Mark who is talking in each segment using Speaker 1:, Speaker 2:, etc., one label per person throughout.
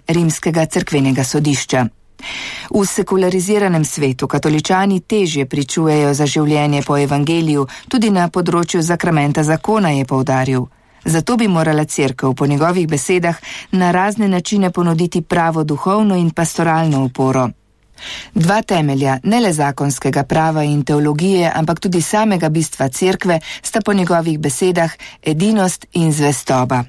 Speaker 1: Rimskega cerkvenega sodišča. V sekulariziranem svetu katoličani težje pričujejo za življenje po evangeliju, tudi na področju sakramenta zakona, je poudaril. Zato bi morala cerkev po njegovih besedah na razne načine ponuditi pravo duhovno in pastoralno oporo. Dva temelja, ne le zakonskega prava in teologije, ampak tudi samega bistva cerkve, sta po njegovih besedah edinost in zvestoba.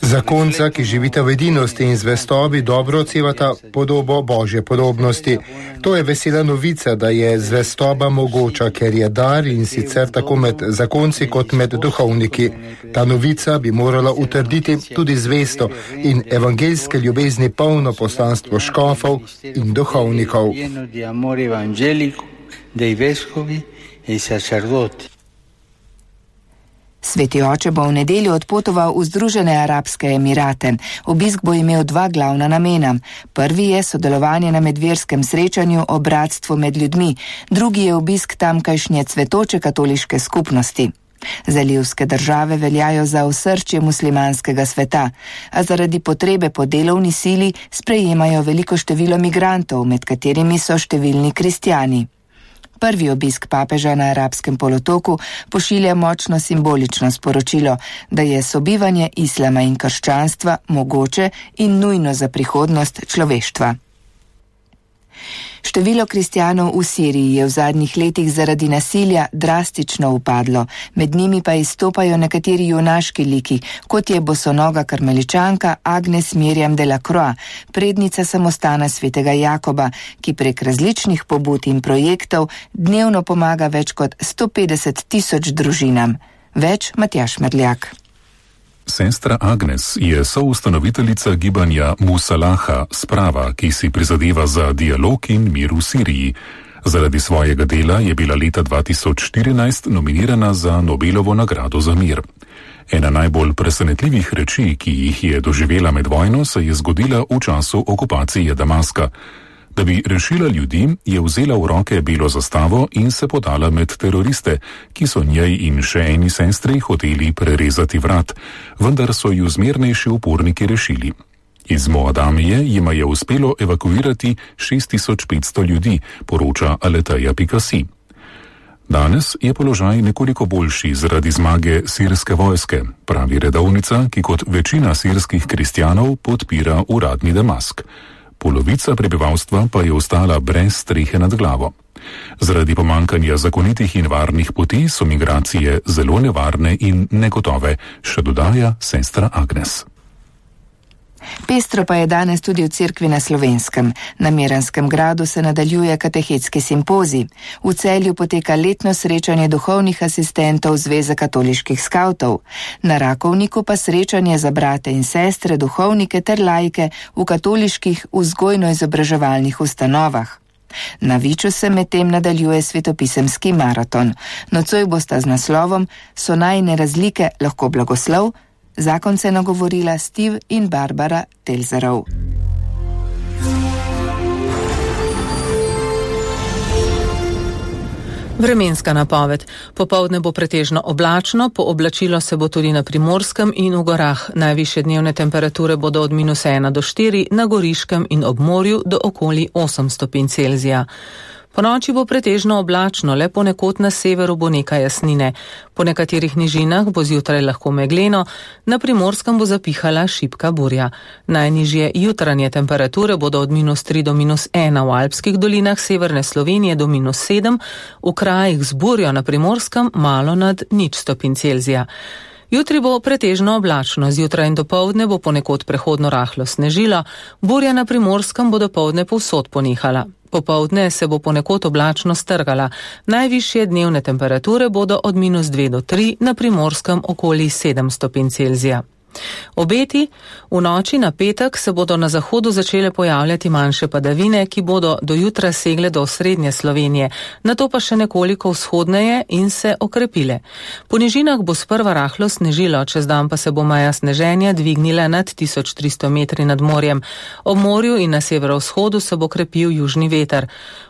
Speaker 2: Zakonca, ki živita v edinosti in zvestobi, dobro odsevata podobo Božje podobnosti. To je vesela novica, da je zvestoba mogoča, ker je dar, in sicer tako med zakonci kot med duhovniki. Ta novica bi morala utrditi tudi zvesto in evangeljske ljubezni polno poslanstvo škofov in duhovnikov.
Speaker 1: Sveti oče bo v nedeljo odpotoval v Združene arabske emirate. Obisk bo imel dva glavna namena. Prvi je sodelovanje na medverskem srečanju o bratstvu med ljudmi, drugi je obisk tamkajšnje cvetoče katoliške skupnosti. Zalivske države veljajo za osrčje muslimanskega sveta, a zaradi potrebe po delovni sili sprejemajo veliko število migrantov, med katerimi so številni kristjani. Prvi obisk papeža na arabskem polotoku pošilja močno simbolično sporočilo, da je sobivanje islama in krščanstva mogoče in nujno za prihodnost človeštva. Število kristjanov v Siriji je v zadnjih letih zaradi nasilja drastično upadlo, med njimi pa izstopajo nekateri junaški liki, kot je bosonoga karmeličanka Agnes Miriam de la Croix, prednica samostana svetega Jakoba, ki prek različnih pobud in projektov dnevno pomaga več kot 150.000 družinam. Več Matjaž Merljak.
Speaker 3: Sestra Agnes je soustanoviteljica gibanja Musalaha, sprava, ki si prizadeva za dialog in mir v Siriji. Zaradi svojega dela je bila leta 2014 nominirana za Nobelovo nagrado za mir. Ena najbolj presenetljivih reči, ki jih je doživela med vojno, se je zgodila v času okupacije Damaska. Da bi rešila ljudi, je vzela v roke belo zastavo in se podala med teroriste, ki so njej in še eni sestri hoteli prerezati vrat, vendar so ju zmernejši uporniki rešili. Iz Moadamije jima je uspelo evakuirati 6500 ljudi, poroča Aleteja.si. Danes je položaj nekoliko boljši zaradi zmage sirske vojske, pravi redovnica, ki kot večina sirskih kristjanov podpira uradni Damask. Polovica prebivalstva pa je ostala brez strehe nad glavo. Zaradi pomankanja zakonitih in varnih poti so migracije zelo nevarne in negotove, še dodaja sestra Agnes.
Speaker 1: Pestro pa je danes tudi v cerkvi na Slovenskem. Na Miranskem gradu se nadaljuje katehetski simpozij. V Celju poteka letno srečanje duhovnih asistentov Zveze katoliških skavtov. Na Rakovniku pa srečanje za brate in sestre, duhovnike ter laike v katoliških vzgojno-izobraževalnih ustanovah. Na Viču se medtem nadaljuje svetopisemski maraton. Nocoj bosta z naslovom So najine razlike lahko blagoslov? Zakon se nagovorila Steve in Barbara Telzerov.
Speaker 4: Vremenska napoved. Popoldne bo pretežno oblačno, pooblačilo se bo tudi na Primorskem in v gorah. Najvišje dnevne temperature bodo od -1 do 4, na Goriškem in ob morju do okoli 8 stopinj Celzija. Po noči bo pretežno oblačno, le ponekod na severu bo nekaj jasnine. Po nekaterih nižinah bo zjutraj lahko megleno, na Primorskem bo zapihala šibka burja. Najnižje jutranje temperature bodo od -3 do -1 v alpskih dolinah severne Slovenije do -7, v krajih z burjo na Primorskem malo nad 0 stopinj Celzija. Jutri bo pretežno oblačno, zjutraj in dopoldne bo ponekod prehodno rahlo snežilo, burja na Primorskem bo dopoldne povsod ponehala. Popoldne se bo ponekod oblačno strgala. Najvišje dnevne temperature bodo od -2 do 3, na Primorskem okoli 7 stopinj Celzija. Obeti: v noči na petek se bodo na zahodu začele pojavljati manjše padavine, ki bodo do jutra segle do osrednje Slovenije, nato pa še nekoliko vzhodneje in se okrepile. Po nižinah bo sprva rahlo snežilo, čez dan pa se bo meja sneženja dvignila nad 1300 metri nad morjem. Ob morju in na severovzhodu se bo krepil južni veter.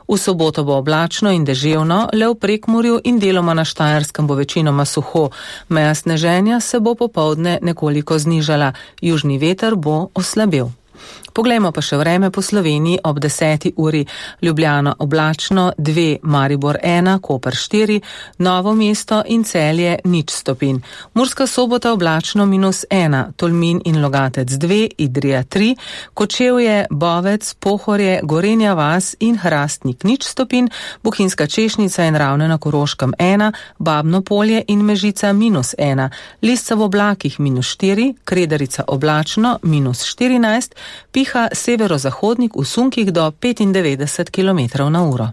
Speaker 4: V soboto bo oblačno in deževno, le v Prekmurju in deloma na Štajerskem bo večinoma suho. Meja sneženja se bo popoldne nekoliko znižala, južni veter bo oslabel. Poglejmo pa še vreme po Sloveniji ob 10. uri. Ljubljana oblačno 2, Maribor 1, Koper 4, Novo mesto in Celje 0 stopinj. Murska Sobota oblačno -1, Tolmin in Logatec 2, Idrija 3, Kočevje, Bovec, Pohorje, Gorenja vas in Hrastnik 0 stopinj, Bohinjska Češnica in Ravne na Koroškem 1, Babno Polje in Mežica -1, Lisca v oblakih -4, Kredarica oblačno -14, piha severozahodnik v sunkih do 95 km/h.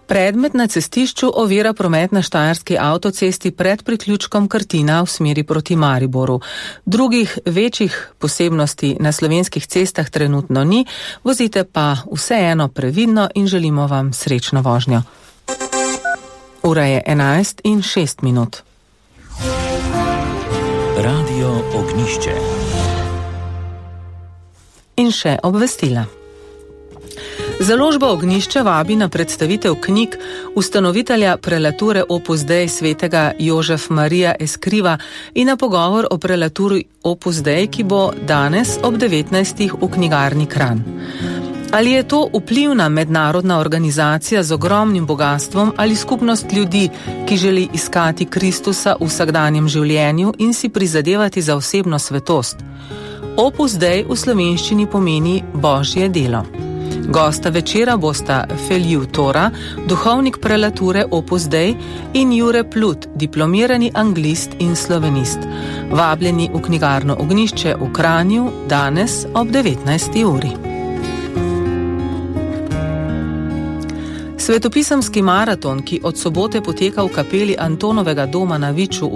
Speaker 4: Predmet na cestišču ovira promet na štajerski avtocesti pred priključkom Krtina v smeri proti Mariboru. Drugih večjih posebnosti na slovenskih cestah trenutno ni, vozite pa vseeno previdno in želimo vam srečno vožnjo. Ura je 11:06.
Speaker 5: Radio Ognišče.
Speaker 4: In še obvestila. Založba Ognišče vabi na predstavitev knjig ustanovitelja prelature Opus Dei svetega Jožef Marija Eskriva in na pogovor o prelaturi Opus Dei, ki bo danes ob 19. v knjigarni Kranj. Ali je to vplivna mednarodna organizacija z ogromnim bogatstvom ali skupnost ljudi, ki želi iskati Kristusa v vsakdanjem življenju in si prizadevati za osebno svetost? Opus Dei v slovenščini pomeni Božje delo. Gosta večera bosta Felju Tora, duhovnik prelature Opus Dei, in Jure Plut, diplomirani anglist in slovenist. Vabljeni v knjigarno Ognišče v Kranju danes ob 19. uri. Svetopisemski maraton, ki od sobote poteka v kapeli Antonovega doma na Viču v